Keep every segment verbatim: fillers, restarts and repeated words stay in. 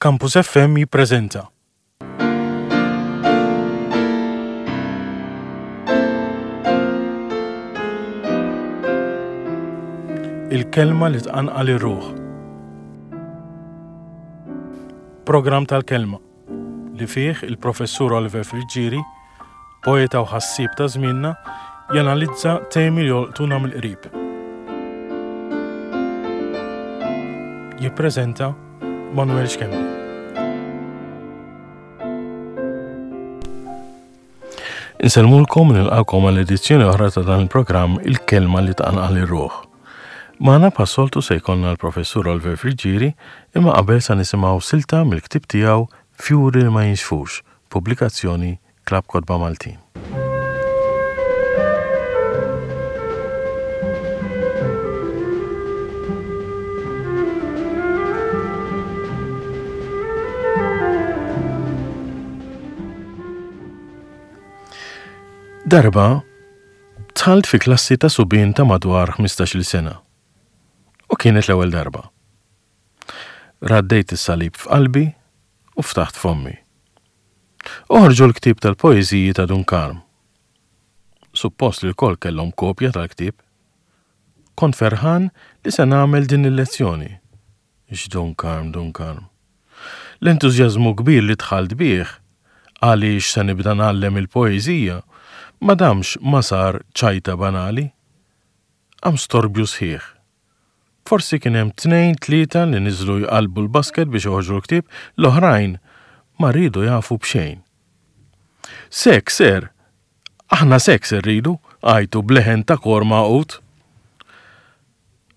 Campus F M jippreżenta Il-kelma li tqanqal ir-ruħ. Programm tal-kelma li fih il-professur Oliver Friggieri, poeta u ħassieb ta' żmienna, janalizza temi li jolqtuna mill-qrib. Jippreżenta Manuel Schembri. Insellmulkom u nilqakom għal edizzjoni oħra ta' dan il-programm Il-kelma li tqanqal ir-ruħ. Magħna bħas-soltu se jkollna l-professur Oliver Friggieri, imma qabel sa nisimgħu silta mill-ktieb tiegħu Fjuri li ma jinxfux, pubblikazzjoni Klabb Kotba Maltin. Darba, dħalt fi klassi ta' subien ta' madwar ħmistax-il sena. U kienet l-ewwel darba. Raddejt is-salib f'qalbi u ftaħt fommi. Oħorġu l-ktieb tal-poeżiji ta' Dun Karm. Suppost li l-kol kellhom kopja tal-ktieb. Kont ferħan li se nagħmel din il-lezzjoni. X'Dun Karm, Dun Karm. L-entużjażmu kbir li dħalt bih għaliex se nibda ngħallem il-poeżija ma damx ma sar ċajta banali. Qam storbju sħiħ. Forsi kien hemm tnejn tlieta li niżlu jqalbu l-basket biex joħorġu l-ktieb, l-oħrajn ma rridu jafu b'xejn. Sek, ser, aħna sek ser rridu, għajtu bleħen ta' kor maqut.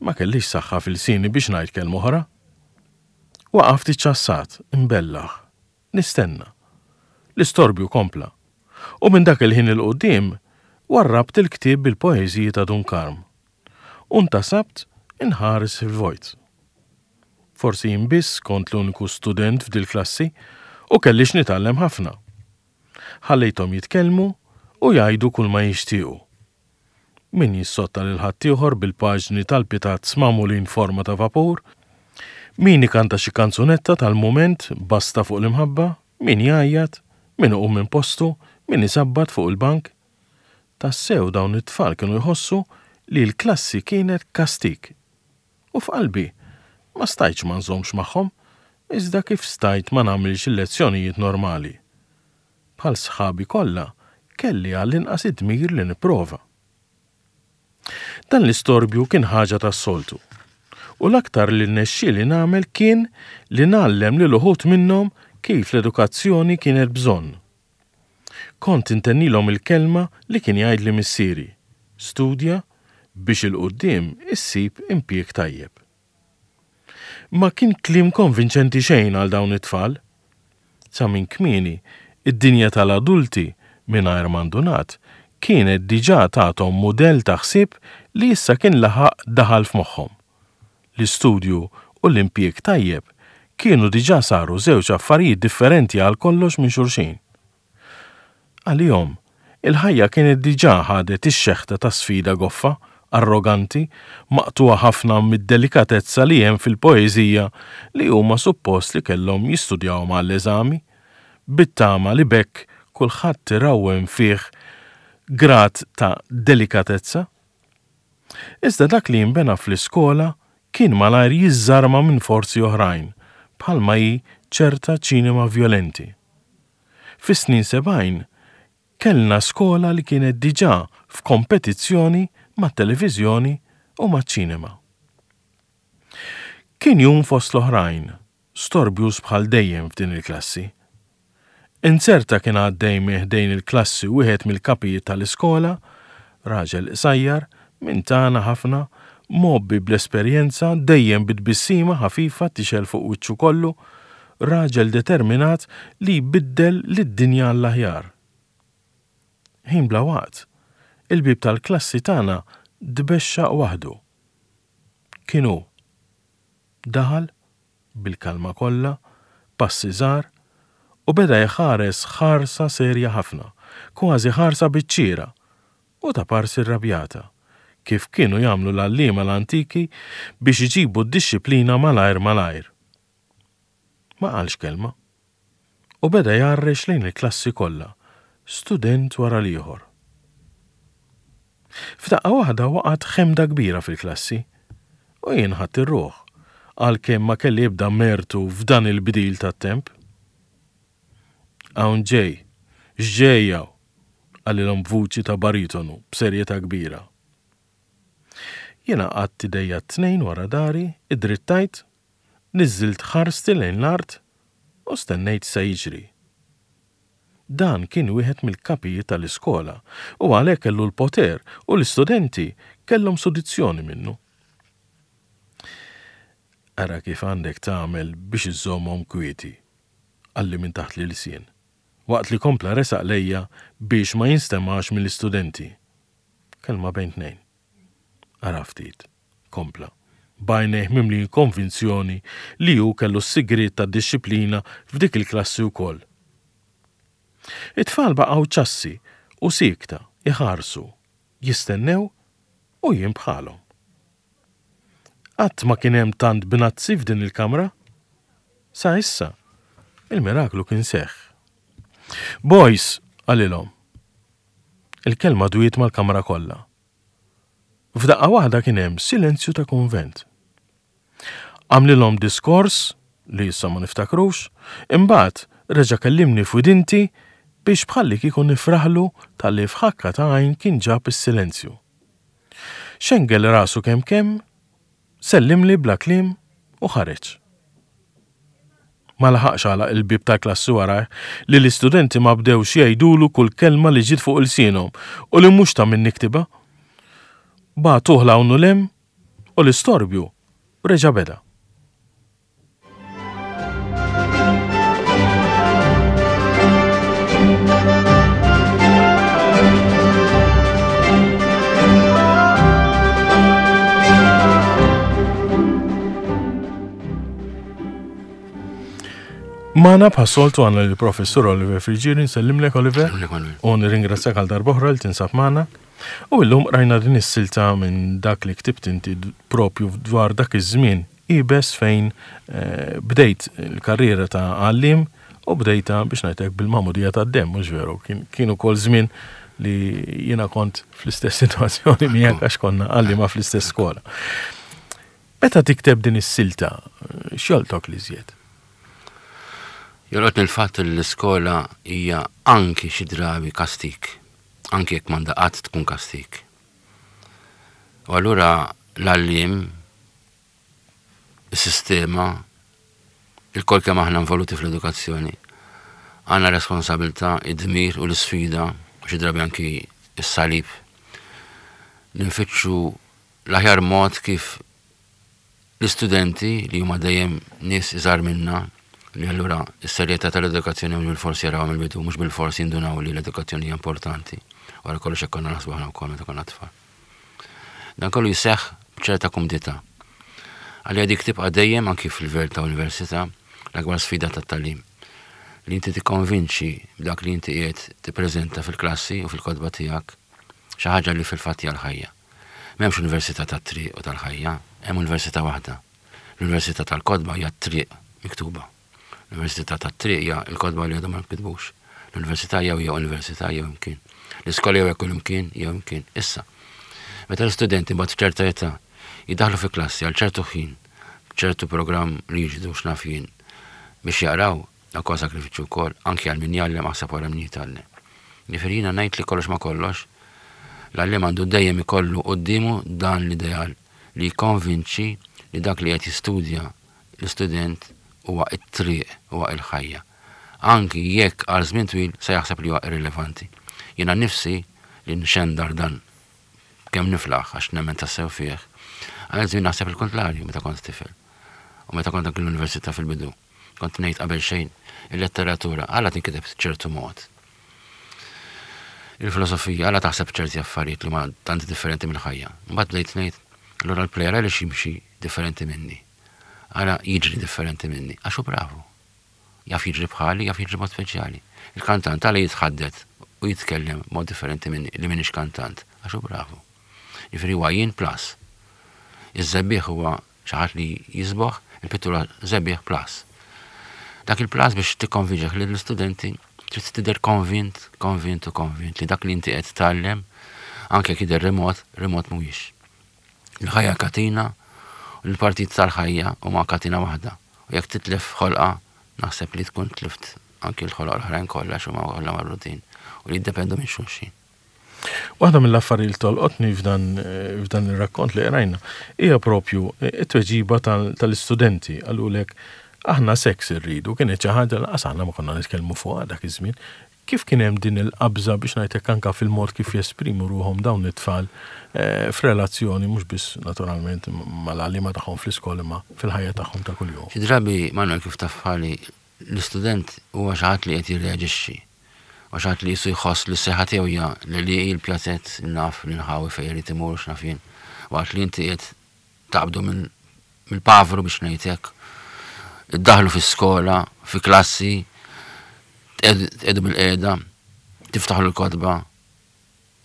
Ma kellix saħħa fil-sini biex ngħid kelma oħra. Waqaft iċċassat, imbellaħ, nistenna. L-istorbju kompla. U minn dak il-ħin il-qudiem warrabt il-ktieb bil-poeżiji ta' Dun Karm. U ntasabt inħares fil-vojt. Forsi jien biss kont l-uniku student f'dil klassi u kellix nitgħallem ħafna. Ħallejthom jitkellmu u jgħidu kull ma jixtiequ. Min jissotta lil ħaddieħor bil-paġni tal-pitazz magħmulin forma ta' vapur, min ikanta xi kanzunetta tal-mument basta fuq l-imħabba, min jgħajjat, min iqum minn postu, min isabbat fuq il-bank. Tassew dawn it-tfal kienu jħossu li l-klassi kienet kastik. U f'qalbi ma stajtx ma nżommx magħhom, iżda kif stajt ma nagħmilx il-lezzjonijiet normali. Bħal sħabi kollha, kelli għall-inqas id-dmir li nipprova. Dan l-istorbju kien ħaġa tas-soltu. U l-aktar li rnexxieli nagħmel kien li ngħallem lil uħud minnhom kif l-edukazzjoni kienet bżonn. Kont intennilhom il-kelma li kien jgħidli missieri, studja biex il-quddiem issib impjieg tajjeb. Ma kien kliem konvinċenti xejn għal dawn it-tfal. Sa minn kmieni, id-dinja tal-adulti mingħajr mandunat kienet diġà tagħthom mudell ta' ħsieb li issa kien laħaq daħal f'moħħhom. L-istudju u l-impjieg tajjeb kienu diġà saru żewġ affarijiet differenti għal kollox minn xulxin. Għalihom, il-ħajja kienet diġà ħadet ix-xeħta ta' sfida goffa, arroganti, maqtuha ħafna mid-delikatezza li hemm fil-poeżija li huma suppost li kellhom jistudjaw mal-eżami, bit-tama li bekk kulħadd irawwem fih grad ta' delikatezza. Iżda dak li jinbena fl-iskola kien malajr jiżżarma minn forzi oħrajn, bħalma hi ċerta ċinema vjolenti. Fis-snin sebgħin kellna skola li kienet diġà f'kompetizzjoni mat-televiżjoni u maċ-ċinema. Kien jum fost l-oħrajn, storbjus bħal dejjem f'din il-klassi. Inzerta kien għaddej minn ħdejn il-klassi wieħed mill-kapijiet tal-iskola, raġel qsajjar, minn tagħna ħafna, mgħobbi bl-esperjenza, dejjem bit-tbissima ħafifa tixgħel fuq wiċċu kollu, raġel determinat li jbiddel lid-dinja għall-aħjar. Ħin bla waqt, il-bib tal-klassi tagħna tbexxaq waħdu. Kien hu. Daħal bil-kalma kollha, passi żgħar, u beda jħares ħarsa serja ħafna, kważi ħarsa biċ-ċiera, u ta' parsi rrabjata, kif kienu jagħmlu l-għalliema l-antiki biex iġibu d-dixxiplina malajr malajr. Ma qalx kelma. U beda jgħarrex lejn il-klassi kollha, student wara l-ieħor. F'daqqa waħda waqgħet ħemda kbira fil-klassi u jien ħadt ir-ruħ għalkemm ma kelli ebda mertu f'dan il-bdil tat-temp. Hawn ġej, x'ġej hawn? Qalilhom b'vuċi ta' baritonu b'serjetà kbira. Jiena qgħadt idejja t-tnejn wara dari, iddrittajt, niżżilt ħarsti lejn l-art u stennejt se jiġri. Dan kien wieħed mill-kapijiet tal-iskola u għalhekk kellu l-poter u l-istudenti kellhom sudizzjoni minnu. Ara kif għandek tagħmel biex iżżommhom kwieti, qalli minn taħt l-ilsien, waqt li kompla resaq lejja biex ma jinstemax mill-istudenti. Kelma bejn tnejn. Ara ftit, kompla, b'għajnejh mimlijin konvinzjoni li hu kellu s-sigriet tad-dixxiplina f'dik il-klassi wkoll. It-tfal baqgħu ċassi u siekta iħarsu, jistennew u jien bħalhom. Qatt ma kien hemm tant bnazzi f'din il-kamra. Sa issa, il-miraklu kien seħħ. Boys, qalilhom. Il-kelma dwiet mal-kamra kollha. F'daqqa waħda kien hemm silenzju ta' kunvent. Għamlilhom diskors li issa ma niftakrux, imbagħad reġa' kellimni f'widinti biex bħalli kieku nifraħlu talli f'ħakka ta' għajn kien ġab is-silenzju. Xengel rasu kemm kemm, sellimli bla kliem u ħareġ. Ma laħaqx għalaq il-bieb tal-klassi warajh li l-istudenti ma bdewx jgħidulu kull kelma li ġiet fuq ilsienhom u li mhux ta' min niktibha. Bagħtuh 'l hawn u 'l hemm u l-istorbju reġa' beda. Magħna bħas-soltu għandna lill-Professur Oliver Friggieri, nsellimlek Oliver. Nsellimlek, Manuel. U nirringrazzjak għal darb'oħra li tinsab magħna. U llum rajna din is-silta minn dak li ktibt inti propju dwar dak iż-żmien ibes fejn, eh, bdejt il-karriera ta' għalliem u bdejta biex ngħidlek bil-magħmudija tad-demm, mhux veru, kien, kien ukoll żmien li jiena kont fl-istess sitwazzjoni miegħek għax konna għalliema fl-istess skola. Meta tikteb din is-silta, x'jolqtok li żjed? Jolqotni l-fatt li l-iskola hija anki xi drabi kastik, anki jekk m'għandha qatt tkun kastik. U allura l-għalliem, is-sistema, il-kol kemm aħna involuti fl-edukazzjoni, għandna responsabilità, id-dmir u l-isfida, u xi drabi anki s-salib, li nfittxu l-aħjar mod kif l-istudenti li huma dejjem nies iżgħar minna, li allura s-serjetà tal-edukazzjoni mhux bilfors jaraw mill-bidu, mhux bilfors jindunaw li l-edukazzjoni hija importanti. Wara kollox hekk konna naħsbu aħna wkoll meta konna tfal. Dan kollu jseħħ b'ċerta kumdità. Għalija dik tibqa' dejjem anki fil-livell ta' università l-akbar sfida tat-tagħlim. Li inti tikkonvinċi b'dak li inti qiegħed tippreżenta fil-klassi u fil-kotba tiegħek xi ħaġa li fil-fatt hija l-ħajja. M'hemmx università tat-triq u tal-ħajja, hemm università waħda. L-università tal-kotba hija t-triq miktuba. L-università tat-triq hija l-kotba li għadhom ma nkitbux. L-università jew hija università jew imkien. L-iskola jew kull imkien jew imkien. Issa, meta l-istudenti mbagħad f'ċerta età jiddaħlu fi klassi għal ċertu ħin, ċertu programm riġidu x'naf jien biex jaqraw, dak huwa sakrifiċċju wkoll, anki għal min jgħallem aħseb wara min jitgħallem. Jiġifieri jiena ngħid li kollox ma kollox, l-għalliem għandu dejjem ikollu quddiemu dan l-ideal li jikkonvinċi li dak li qed jistudja l-istudent huwa t-triq, huwa l-ħajja. Anki jekk għal żmien twil se jaħseb li huwa irrilevanti. Jiena nnifsi li nxendar dan kemm niflaħ għax nemmen tassew fih. Għal żmien naħseb il-kontrarju meta kont tifel. U meta kont anki l-università fil-bidu. Kont ngħid qabel xejn il-letteratura għala tinkiteb ċertu mod. Il-filosofija għala taħseb ċerti affarijiet li ma tant differenti mill-ħajja. Mbagħad bdejt ngħid allura l-plejer għaliex jimxi differenti minni. Għala jiġri differenti minni, għax hu bravu. Jaf jiġri bħali, jaf jiġri mod speċjali. Il-kantant għala jitħaddet u jitkellem mod differenti minni li minix kantant, għax hu bravu. Jiġifieri huwa jien plus. Iż-żebbiħ huwa xi ħadd li jisboħ, il-pittura żebbiħ plus. Dak il-plus biex tikkonvinċek li l-istudenti trid tidher konvint, konvint u konvint li dak li inti qed tgħallem anke jekk jidher remot, remot mhuwiex. Il-ħajja katina u l-partit tal-ħajja huma katina waħda. U jekk titlef ħolqa, naħseb li tkun tlift anke l-ħolqa l-oħrajn kollha x'huma kollha marbutin u li jiddependu minn xulxin. Waħda mill-affarijiet li tolqotni f'dan f'dan ir-rakkont li qrajna hija propju it-tweġiba tal-istudenti qalulek aħna seks irridu, kienet xi ħaġa lanqas aħna ma konna nitkellmu fuqha dak iż-żmien. Kif kien hemm din il-qabża biex ngħidlek anke fil-mod kif jesprimu ruħhom dawn it-tfal eh, f'relazzjoni mhux biss naturalment mal-għalliema tagħhom fl-iskola imma fil-ħajja tagħhom ta' kuljum. Xi drabi Manuel kif taf bħali l-istudent huwa xi ħadd li qed jirreaġixxi. U xi ħadd li jisu jħoss li s-seħħa tiegħu hija li li l-pjazett naf l-inħawi fejn irid imur x'naf jien. Waqt li inti qed taqbdu mill-pavru biex ngħidlek. Iddaħlu fi skola, fi klassi, tqegħdu bil-qiegħda, tiftaħlu l-kotba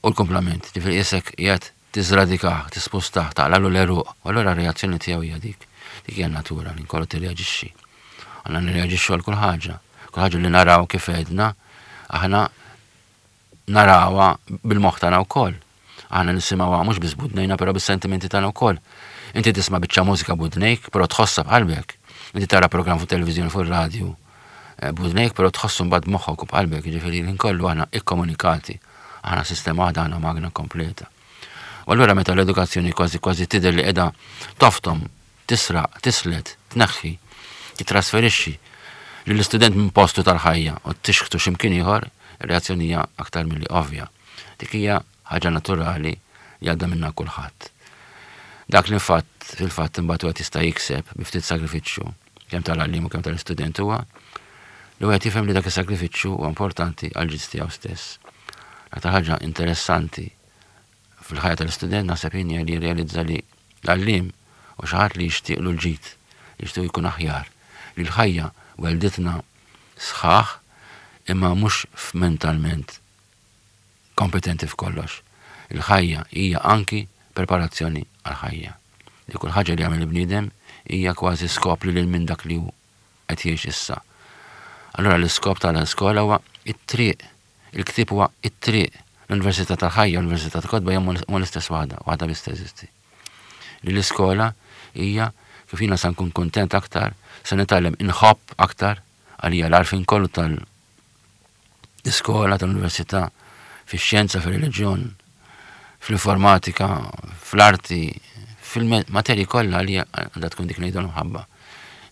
u l-komplament. Ġifieri qisek qiegħed tiżradikah, tispustah, taqlalu l-għeruq. U allura r-reazzjoni tiegħu hija dik. Dik hija natura li nkollu tirreaġixxi. Għandna nirreaġixxu għal kull ħaġa. Kull ħaġa li naraw kif għedna, aħna narawha bil-moħħ tagħna wkoll. Aħna nisimgħuha mhux biss b'widnejna, però bis-sentimenti tagħna wkoll. Inti tisma' biċċa mużika b'widnejk, però tħossha b'qalbek. Inti tara programm fuq televiżjoni fuq ir-radju eh, b'widnejk, però tħossu mbagħad b'moħħok u b'qalbek, jiġifieri l kollu aħna ikkomunikati. Aħna sistema waħda, aħna magna kompleta. U allura meta l-edukazzjoni kważi kważi tidher li qiegħda toftom, tisraq, tislet, tneħħi, titrasferixxi lill-istudent minn postu tal-ħajja u tixħtu x'imkien ieħor, ir-reazzjoni hija aktar milli ovvja. Dik hija ħaġa naturali li għadda minna kulħadd. Dak li fatt fil-fatt imbagħad wieħed jista' jikseb bi ftit sagrifiċċju kemm tal-għalliem u kemm tal-istudent huwa li wieħed jifhem li dak is-sagrifiċċju huwa importanti għal ġid tiegħu stess. L-aktar ħaġa interessanti fil-ħajja tal-istudent naħseb jien hija li jirrealizza li l-għalliem u xi ħadd li jixtieqlu l-ġid, li jixtieq jkun aħjar, li l-ħajja welditna sħaħ imma mhux mentalment kompetenti f'kollox. Il-ħajja hija anki preparazzjoni għal-ħajja. Li kull ħaġa li jagħmel il-bniedem hija kważi skop li lil minn dak li hu qed jgħix issa. Allura l-iskop tal-iskola huwa it-triq, il-ktieb huwa it-triq. L-Università tal-ħajja, l-Università tal-kotba hija huma l-istess waħda, waħda biss teżisti. Li l-iskola hija kif jiena sa nkun kontent aktar, se nitgħallem inħobb aktar għalija l-għarfien kollu tal-iskola, tal-università, fix-xjenza, fir-reliġjon, fl-informatika, fl-arti, fil-materji kollha li għandha tkun dik ngħidu l-mħabba.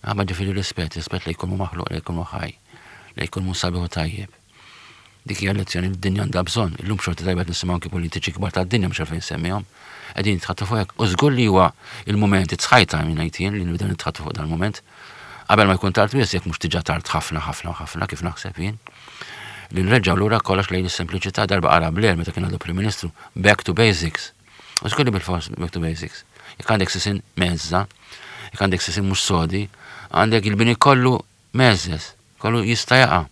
Mħabba ġifieri rispett, rispett li jkunu maħluq, li jkunu ħaj, li jkunu sabiħ u tajjeb. Dik hija lezzjoni li d-dinja għandha bżonn. Illum xorti tajba nisimgħu anki politiċi kbar tad-dinja mhux għalfejn semmihom. Qegħdin jitħaddtu fuq hekk. U żgur li huwa il-mument it's high time ngħid jien li nibdew nitħaddtu fuq dal-mument. Qabel ma jkun tard wisq jekk mhux diġà tard ħafna ħafna ħafna kif naħseb jien. Li nreġgħu lura kollox lejn is-sempliċità darba qara Blair meta kien għadu Prim Ministru, back to basics. U żgur li bil-fors back to basics. Jekk għandek sisin mezza, jekk għandek sisin mhux sodi, għandek il-bini kollu mezzes, kollu jista' jaqa'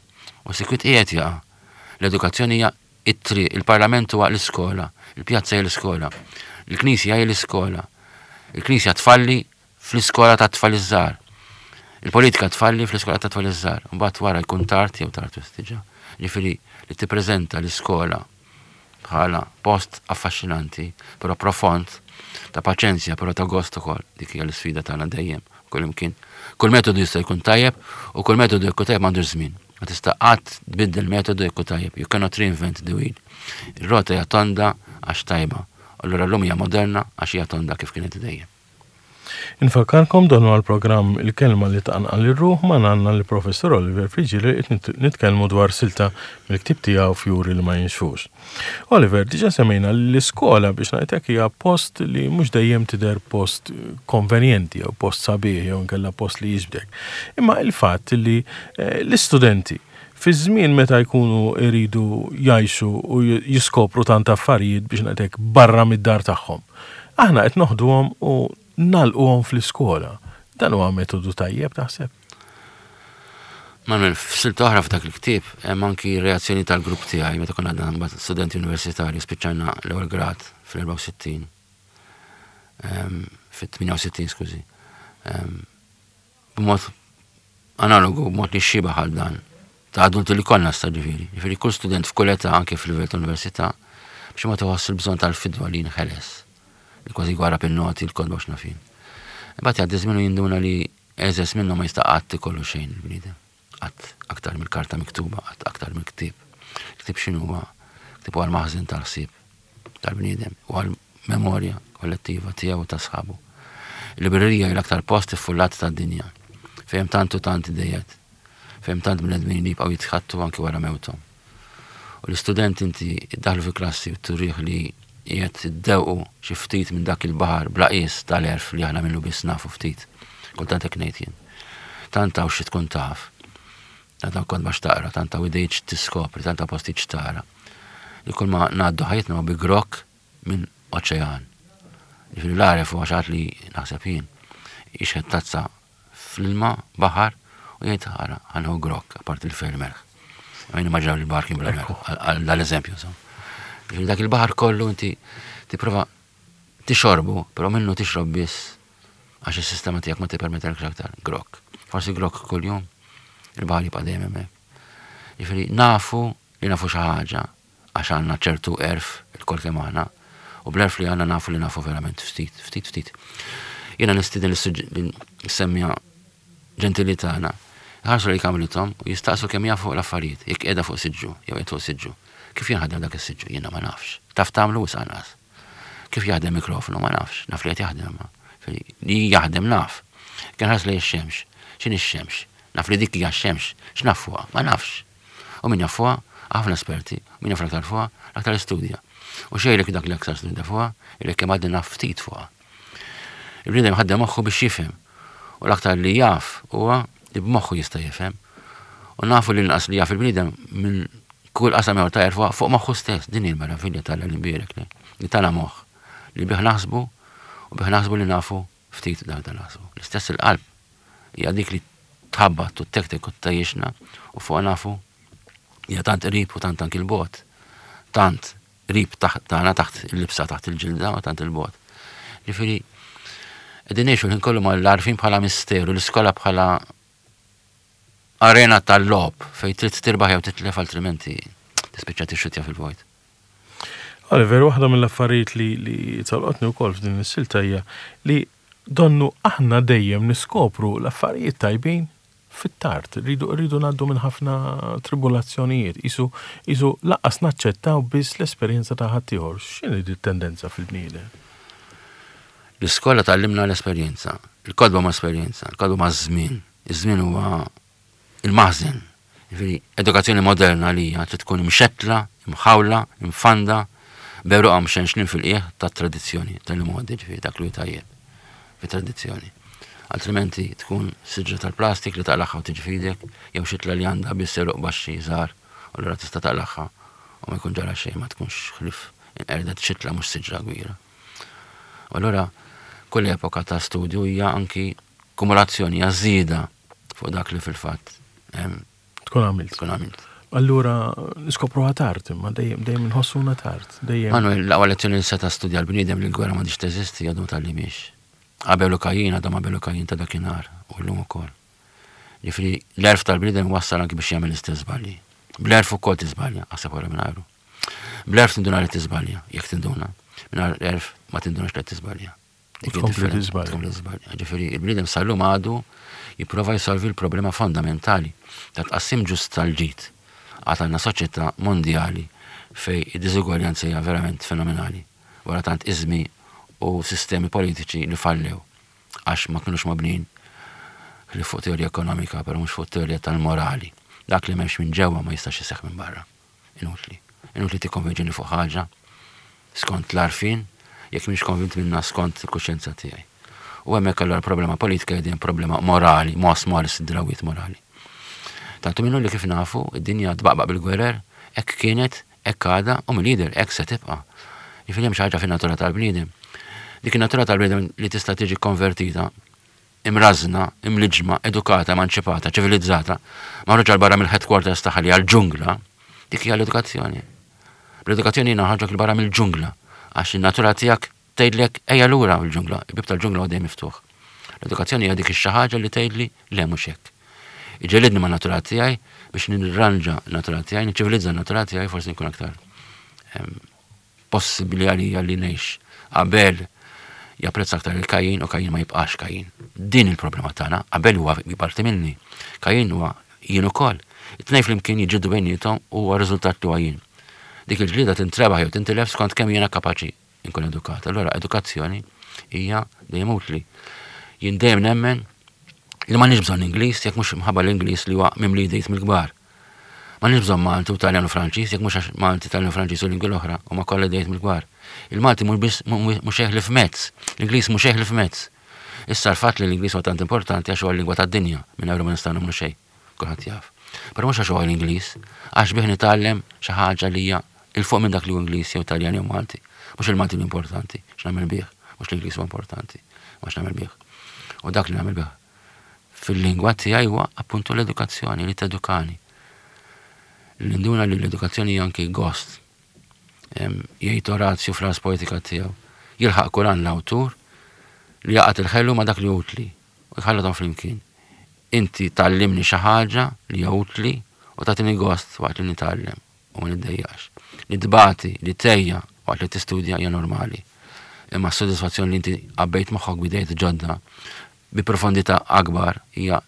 u sikwit qiegħed jaqa'. L-edukazzjoni hija it-triq, il-parlament huwa l-iskola, il-pjazza hija l-iskola, il-knisja hija l-iskola. Il-knisja tfalli fl-iskola ta' tfal iż-żgħar. Il-politika tfalli fl-iskola ta' tfal iż-żgħar. Mbagħad wara jkun tard jew tard diġà. Ġifieri li tippreżenta l-iskola bħala post affaxxinanti, però profond, ta' paċenzja, però ta' gost ukoll. Dik hija l-isfida tagħna dejjem, kull imkien. Kull metodu jista' jkun tajjeb u kull metodu jkun tajjeb m'għandux żmien. Ma tista' qatt tbiddel metodu jkun tajjeb. You cannot reinvent the wheel. Ir-rota hija tonda għax tajba. Allura llum hija moderna għax hija tonda kif kienet dejjem. Infakkarkom dan huwa l-programm Il-Kelma li tqanqal ir-ruħ ma għandna l-Professor Oliver Friggieri qed nitkellmu dwar silta mill-ktieb tiegħu Fjuri li ma jinxfux. Oliver, diġà semmejna li l-iskola biex ngħidlek hija post li mhux dejjem tidher post konvenjenti jew post sabiħ jew inkella post li jiġbdek. Imma il-fatt li eh, l-istudenti fi żmien meta jkunu iridu jgħixu u jiskopru tant affarijiet biex ngħidlek barra mid-dar tagħhom. Aħna qed noħduhom u nagħlquhom fl-iskola. Dan huwa metodu tajjeb taħseb? Manuel, f'silta oħra f'dak il-ktieb hemm anki reazzjoni tal-grupp tiegħi meta konna għadna mbagħad studenti universitarji spiċċajna l-ewwel grad fl-erbgħa u sittin. Ehm, fit-tmienja u sittin, skużi. Ehm, b'mod analogu, mod li xibah għal dan, ta' adulti li konna sta ġifieri. Ġifieri kull student f'kull età, anke fil-livell ta' università, biex ma tħoss il-bżonn tal-fidwa li nħeles. Li kważi gwarrab il-noti, il-kotba x'naf jien. Imbagħad jgħaddi żmien u jinduna li eżes minnu ma jista' qatt ikollu xejn il-bniedem. Qatt aktar mill-karta miktuba, qatt aktar mill-ktieb. Ktieb x'inhu huwa? Ktieb huwa l-maħżen tal-ħsieb tal-bniedem, u għal-memorja kollettiva tiegħu u ta' sħabu. Il-librerija hija l-aktar post iffullat tad-dinja, fejn tant u tant idejat, fejn tant bnedmin li jibqgħu jitħattu anki wara mewthom. U l-istudent inti iddaħlu fi klassi u turih li qiegħed iddewqu xi ftit minn dak il-baħar bla qies tal-għerf li aħna minnu biss nafu ftit. Kultant hekk ngħid jien. Tant hawn xi tkun taf. Tant hawn kotba x'taqra, tant hawn idejt x'tiskopri, tant hawn postijiet x'tara. Li kull ma ngħaddu ħajjitna ma bi grokk minn oċean. Ġifieri l-għaref huwa xi ħadd li naħseb jien jixħet tazza fl-ilma baħar u jgħid ħara ħa nieħu grokk apart il-fer melħ. Għajn immaġinaw li l-baħar kien bla melħ, għal dal-eżempju. Ġifieri dak il-baħar kollu inti tipprova tixorbu, però minnu tixrob biss għax is-sistema tiegħek ma tippermettilekx aktar grokk. Forsi grokk kuljum, il-baħar jibqa' dejjem hemmhekk. Ġifieri nafu li nafu xi ħaġa għax għandna ċertu għerf ilkoll kemm aħna, u bl-għerf li għandna nafu li nafu verament ftit, ftit, ftit. Jiena nistieden l-semmija ġentili tagħna, ħarsu li kamrithom u jistaqsu kemm jafu l-affarijiet, jekk qiegħda fuq siġġu, jew qiegħed fuq siġġu. Kif jinħadem dak is-siġġu? Jiena ma nafx. Taf tagħmlu wisq anqas. Kif jaħdem mikrofonu? Ma nafx. Naf li qed jaħdem ma. Li jaħdem naf. Kien ħares li x-xemx. X'inhi x-xemx? Naf li dik hija x-xemx. X'naf fuqha? Ma nafx. U min jaf fuqha? Ħafna esperti. U min jaf l-aktar fuqha? L-aktar studja. U xejlek dak li aktar studja fuqha, ilek kemm għadni naf ftit fuqha. Il-bniedem ħaddem moħħu biex jifhem. U l-aktar li jaf huwa li b'moħħu jista' jifhem. U nafu li l-inqas li jaf il-bniedem minn kull qasam ieħor ta' għerf fuq moħħu stess. Din hi l-meravilja tal-imbierek li li tana moħħ li bih naħsbu u bih naħsbu li nafu ftit dak dan naħsbu. L-istess il-qalb hija dik li tħabbat u tektek u ttajjixna u fuq nafu hija tant qrib u tant anki l-bot. Tant qrib tagħna taħt il-libsa taħt il-ġilda u tant il-bot. Ġifieri qegħdin ngħixu l-ħin kollu mal-għarfien bħala misteru, l-iskola bħala arena tal-logħob fejn trid tirbaħ jew titlef altrimenti tispiċċa tixxutja fil-vojt. Oliver, waħda mill-affarijiet li, li tolqotni wkoll f'din is-silta hija li donnu aħna dejjem niskopru l-affarijiet tajbin fit-tard, rridu rridu ngħaddu minn ħafna tribulazzjonijiet, isu isu lanqas naċċettaw biss l-esperjenza ta' ħaddieħor. X'inhi di tendenza fil-bniedem? L-iskola tgħallimna l-esperjenza, il-kotba ma' esperjenza, il-kotba ma' żmien. Iż-żmien huwa il-maħżen. Ġifieri, edukazzjoni moderna li hija trid tkun imxettla, imħawla, imfanda, b'għeruqha mxenxnin fil-qiegħ tat-tradizzjoni tal-modi, ġifieri dak li tajjeb fit-tradizzjoni. Altrimenti tkun siġra tal-plastik li taqlaħħa u tiġi f'idek, jew xitla li għandha biss għeruq baxxi żgħar, u allura tista' taqlaħħa u ma jkun ġara xejn, ma tkunx ħlief inqerdet xitla mhux siġra kbira. U allura kull epoka ta' studju hija anki kumulazzjoni, hija żieda fuq dak li fil-fatt tkun għamilt. Tkun għamilt. Allura niskopruha tard, imma dejjem dejjem inħossuna tard, dejjem. Manuel, l-aqwa lezzjoni li seta' studja l-bniedem li l-gwerra m'għadix teżisti għadu ma tgħallimhiex. Abel u Kajin għadhom Abel u Kajin ta' dakinhar u llum ukoll. Ġifieri l-għerf tal-bniedem wassal anki biex jagħmel l-istess żbalji. Bl-għerf ukoll tiżbalja, aħseb wara mingħajru. Bl-għerf tinduna li tiżbalja, jekk tinduna. Mingħajr l-għerf ma tindunax li tiżbalja. U tkompli tiżbalja. Tkompli tiżbalja. Ġifieri il-bniedem sal-lum għadu jipprova jsolvi l-problema fondamentali ta' tqassim ġust tal-ġid. Għad għandna soċjetà mondjali fej id-diżugwaljanza hija verament fenomenali. Wara tant iżmi u sistemi politiċi li fallew għax ma kienux mabnin li fuq teorija ekonomika, però mhux fuq teorija tal-morali. Dak li m'hemmx minn ġewwa ma jistax iseħħ minn barra. Inutli. Inutli tikkonvinċini fuq ħaġa skont l-għarfien, jekk mhix konvint minna skont il-kuxjenza tiegħi. U hemmhekk allura problema politika hija problema morali, mos moris id-drawiet morali. Tantu minnu li kif nafu, id-dinja tbaqbaq bil-gwerer, hekk kienet, hekk għadha, u mill-lider hekk se tibqa'. Jiġifieri hemm xi ħaġa fin-natura tal-bniedem. Dik in-natura tal-bniedem li tista' tiġi konvertita, imrażna, imliġma, edukata, emanċipata, ċivilizzata, maħruġa 'l barra mill-headquarters tagħha li għall-ġungla, dik hija l-edukazzjoni. L-edukazzjoni noħorġok 'il barra mill-ġungla, għax in-natura tiegħek tgħidlek ejja lura mill-ġungla, il-bib tal-ġungla għadej miftuħ. L-edukazzjoni hija dik ix-xi ħaġa li tgħidli le mhux hekk. Iġellidni ma' natura tiegħi biex nirranġa natura tiegħi, niċċivilizza natura tiegħi, forsi nkun aktar possibbli għalija li ngħix. Abel japprezza aktar il-Kajin u Kajin ma jibqax Kajin. Din il-problema tagħna, Abel huwa parti minni. Kajin huwa jien ukoll. It-tnejn flimkien jiġġieldu bejniethom u huwa riżultat li huwa jien. Dik il-ġlieda tintrebaħ jew tintilef skont kemm jiena kapaċi nkun edukat. Allora edukazzjoni hija dejjem utli. Jien dejjem nemmen li m'għandniex bżonn Ingliż jekk mhux mħabba l-Ingliż li huwa mimli idejt mill-kbar. M'għandniex bżonn Malti u Taljan u Franċiż jekk mhux għax Malti, Taljan u Franċiż u lingwi l-oħra huma kollha idejt mill-kbar. Il-Malti mhux biss mhux ħlief mezz, l-Ingliż mhux ħlief mezz. Issa l-fatt li l-Ingliż huwa tant importanti għax huwa l-lingwa tad-dinja, mingħajru ma nistgħu nagħmlu xejn. Kulħadd jaf. Però mhux għax huwa l-Ingliż, għax bih nitgħallem xi ħaġa li hija 'il fuq minn dak li hu Ingliż jew Taljan jew Malti. Mhux il-Malti l-importanti, x'nagħmel bih, mhux l-Ingliż huwa importanti, ma x'nagħmel bih. U dak li nagħmel bih fil-lingwa tiegħi huwa appuntu l-edukazzjoni li tedukani. L-induna li l-edukazzjoni hija anki gost. Jgħid Orazju fl-Ars Poetica tiegħu. Jilħaq kuran l-awtur li jgħaqqad il-ħelu ma' dak li utli u jħallathom flimkien. Inti tgħallimni xi ħaġa li hija utli u tagħtini gost waqt li nitgħallem u ma niddejjax. Li tbati, li tgħejja waqt li tistudja hija normali. Imma s-sodisfazzjoni li inti għabbejt moħħok b'idejat ġodda bi profondità akbar hija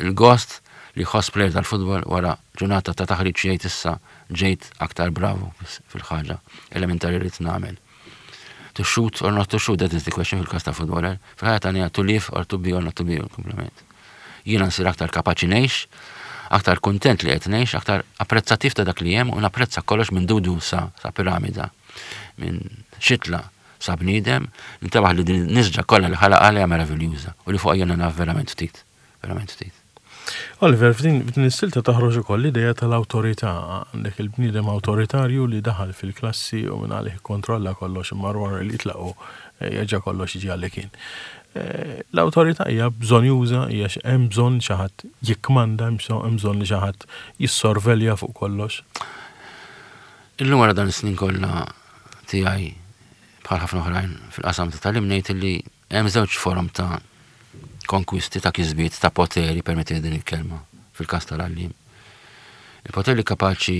il-gost li jħoss player tal-futbol wara ġurnata ta' taħriġ jgħid issa ġejt aktar bravo fil-ħaġa elementari li nagħmel. To shoot or not to shoot, that is the question fil-kas ta' footballer. Fil-ħajja tagħna to live or to be or not to be, komplement. Jiena nsir aktar kapaċi ngħix, aktar kontent li qed ngħix, aktar apprezzattiv ta' dak li hemm u napprezza kollox minn dudu sa, sa piramida, minn xitla sa bniedem, nintebaħ li din nisġa kollha li ħalaq għalija meraviljuża u li fuq jiena naf verament ftit, verament ftit. Oliver, f'din f'din is-silta toħroġ ukoll l-idea tal-awtorità. Għandek il-bniedem awtoritarju li daħal fil-klassi u minn għalih kontrolla kollox, imma wara li jitlaqu jerġa' kollox jiġi għalli kien. L-awtorità hija bżonjuża, hija hemm bżonn xi ħadd jikkmanda, hemm bżonn li xi ħadd jissorvelja fuq kollox. Illum wara dan is-snin kollha tiegħi bħal ħafna oħrajn fil-qasam ta' tagħlim ngħid li hemm żewġ forom ta' konkwisti, ta' kisbiet, ta' poteri, permetti din il-kelma, fil-kas tal-għallim. Il-poter li kapaċi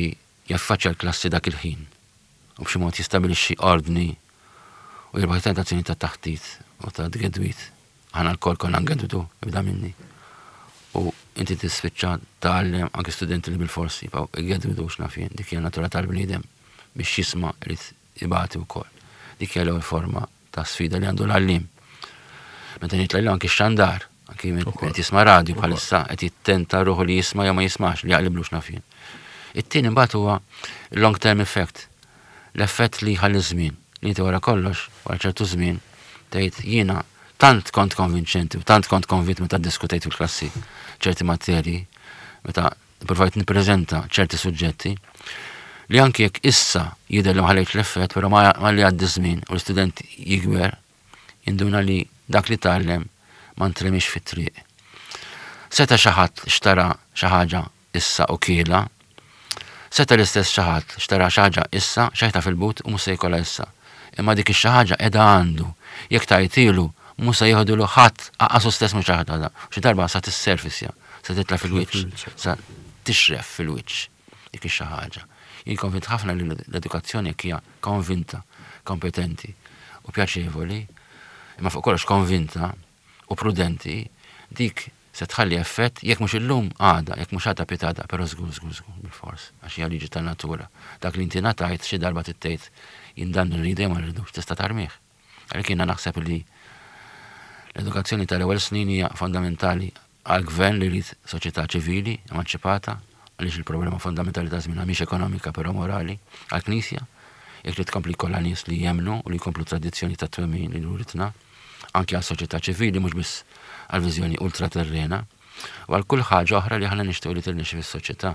jaffaċċja l-klassi dak il-ħin u b'xi mod jistabilixxi ordni u jirbaħ tentazzjoni ta' taħtit u ta' tgedwit. Aħna lkoll konna ngedwdu, ibda minni. U inti tispiċċa tgħallem anke studenti li bil-forsi jibqgħu jgedwdu x'naf jien, dik hija natura tal-bniedem biex jisma' irid ibati wkoll. Dik hija l-ewwel forma ta' sfida li għandu l-għallim. Meta ngħid l anki xandar, anki qed jisma' radju bħalissa qed jittenta ruħu li jisma' jew ma jismax, li jaqliblu x'naf jien. It-tieni mbagħad huwa long term effect, l-effett li jħalli żmien, li inti wara kollox, wara ċertu żmien, tgħid jiena tant kont konvinċenti u tant kont konvint meta ddiskutejt fil-klassi ċerti materji, meta provajt nippreżenta ċerti suġġetti, li anki jekk issa jidher li ma ħallejtx l-effett, però ma li għaddi żmien u l-istudent jikber, jinduna li dak li tgħallem ma ntremix fit-triq. Seta xi ħadd xtara xi ħaġa issa u kiela, seta l-istess xi ħadd xtara xi ħaġa issa, xejta fil-but u mhux se jkollha issa. Imma dik ix-xi ħaġa qiegħda għandu. Jekk tajtilu mhux se jieħdu ħadd aqasu stess mhux ħadd. Xi darba sa tisserfisja, sa titla' fil-wiċċ, sa tixref fil-wiċċ dik ix-xi ħaġa. Jien konvint ħafna li l-edukazzjoni hija konvinta, kompetenti u pjaċevoli, imma fuq kollox konvinta u prudenti, dik se tħalli effett jekk mhux illum għada, jekk mhux għada pitgħada, però żgur żgur żgur bil-fors, għax hija liġi tan-natura. Dak li inti ngħatajt xi darba tittejt jien dan irridu jew ma rridux, tista' tarmih. Għalhekk jiena naħseb li l-edukazzjoni tal-ewwel snin hija fondamentali għal gvern li jrid soċjetà ċivili emanċipata, għaliex il-problema fondamentali ta' żmien mhix ekonomika però morali, għall-Knisja, jekk li tkompli kollha nies li jemnu u li jkomplu tradizzjoni ta' twemmin li uritna, anke għal soċjetà ċivili mhux biss għal viżjoni ultraterrena, u għal kull ħaġa oħra li aħna nixtiequ li tirnexxi fis-soċjetà.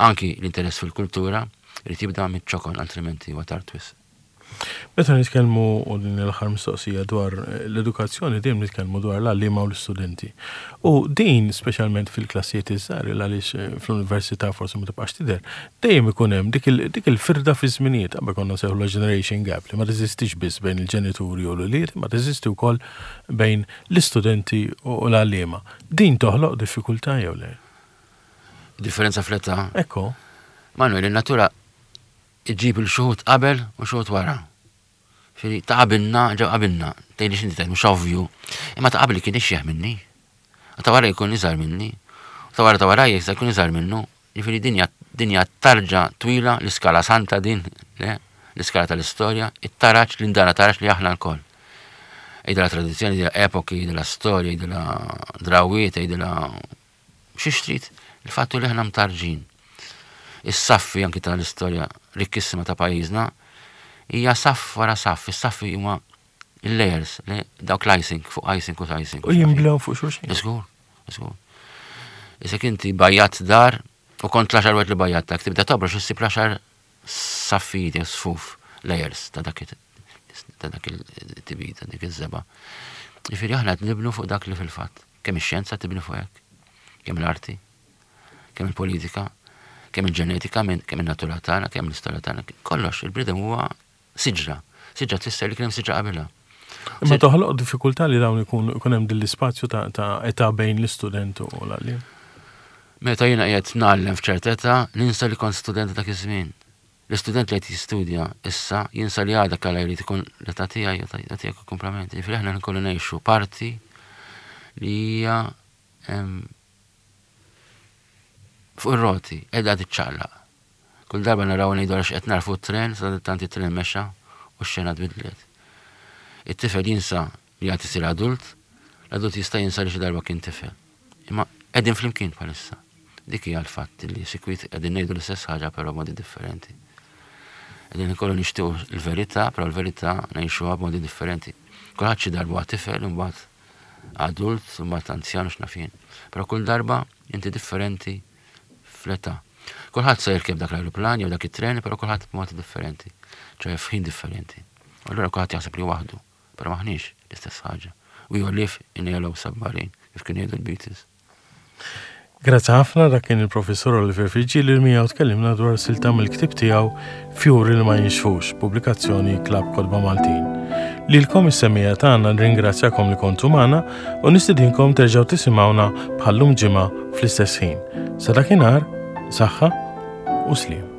Anki l-interess fil-kultura irid jibda miċ-ċokon, altrimenti huwa tard wisq. Meta nitkellmu, u din l-aħħar mistoqsija, dwar l-edukazzjoni, dejjem nitkellmu dwar l-għalliema u l-istudenti. U din speċjalment fil-klassijiet iż-żgħar, għaliex fl-università forsi ma tibqax tidher, dejjem ikun hemm dik il-, dik il-firda fi żminijiet, qabel konna nsejħu generation gap, li ma teżistix biss bejn il-ġenituri u l-ulied, ma teżisti wkoll bejn l-istudenti u l-għalliema. Din toħloq diffikultà jew le? Differenza fl-età. Ekku. Manuel, in-natura iġib il-xuħut qabel u xuħut wara. Firi, ta' qabilna, ġew qabilna, tgħidli x'inti tgħid mhux ovvju. Imma ta' qabli kien ixjeħ minni. U ta' wara jkun iżgħar minni. U ta' wara ta' wara jista' jkun iżgħar minnu. Ġifieri dinja dinja tarġa twila, l-iskala santa din, le, l-iskala tal-istorja, it-taraġ l-indana taraġ li aħna lkoll. Idla tradizzjoni, idla epoki, idla storja, idla drawiet, idla xi trid. Il-fattu li aħna mtarġin. Is-saffi anki tal-istorja rikkissima ta' pajjiżna hija saff wara saff, is-saffi huma il-layers, le- dawk l-icing, fuq icing u icing. U jimblew fuq xulxin. Żgur, żgur. Issa inti bajjat dar u kont l-għaxar wieħed li bajjat tibda tobrox issib l-għaxar saffijiet jew sfuf layers ta' dak it- ta' dak il-tibit, ta' dik iż-żebgħa. Ġifieri aħna qed nibnu fuq dak li fil-fatt. Kemm ix-xjenza tibni fuq hekk, kemm l-arti, kemm il-politika, kemm il-ġenetika, minn- kemm il-natura tagħna, kemm l-istorja tagħna, kollox il-bniedem huwa siġra. Siġra tfisser li kien hemm siġra qabilha. Imma toħloq diffikultà li dawn ikun ikun hemm din l-ispazju ta' ta' età bejn l-istudent u l-għalliem. Meta jiena qiegħed ngħallem f'ċerta età, ninsa li kont student dak iż-żmien. L-istudent li qed jistudja issa jinsa li għada kalla jrid ikun l-età tiegħi u ta' tiegħek komplement. Ġifieri aħna nkollu ngħixu parti li hija em, fuq ir-roti, qiegħda tiċċaqlaq. Kull darba naraw ngħidu għax qed narfu t-tren, sa tant it-tren mexa u x-xena tbidlet. It-tifel jinsa li għad isir adult, l-adult jista' jinsa li xi darba kien tifel. Imma qegħdin flimkien bħalissa. Dik hija l-fatt li sikwit qegħdin ngħidu l-istess ħaġa però b'modi differenti. Qegħdin ikollu nixtiequ l-verità, però l-verità ngħixuha b'modi differenti. Kulħadd xi darba huwa tifel, imbagħad adult, imbagħad anzjan u x'naf jien. Però kull darba inti differenti fl-età. Kulħadd se jirkeb dak l-ajruplan jew dak it-tren, però kulħadd b'modi differenti, ċoè f'ħin differenti. U allura kulħadd jaħseb li waħdu, però maħniex l-istess ħaġa. We all live in a yellow submarine, kif kienu jgħidu l-Beatles. Grazzi ħafna dak kien il-professor Oliver Friggieri li miegħu tkellimna dwar silta mill-ktieb tiegħu Fjuri li ma jinxfux, pubblikazzjoni Klabb Kotba Maltin. Lilkom is-semmiegħa tagħna nringrazzjakom li kontu magħna u nistidinkom terġgħu tisimgħuna bħallum ġimgħa fl-istess ħin. Sa dakinhar, saħħa u sliem.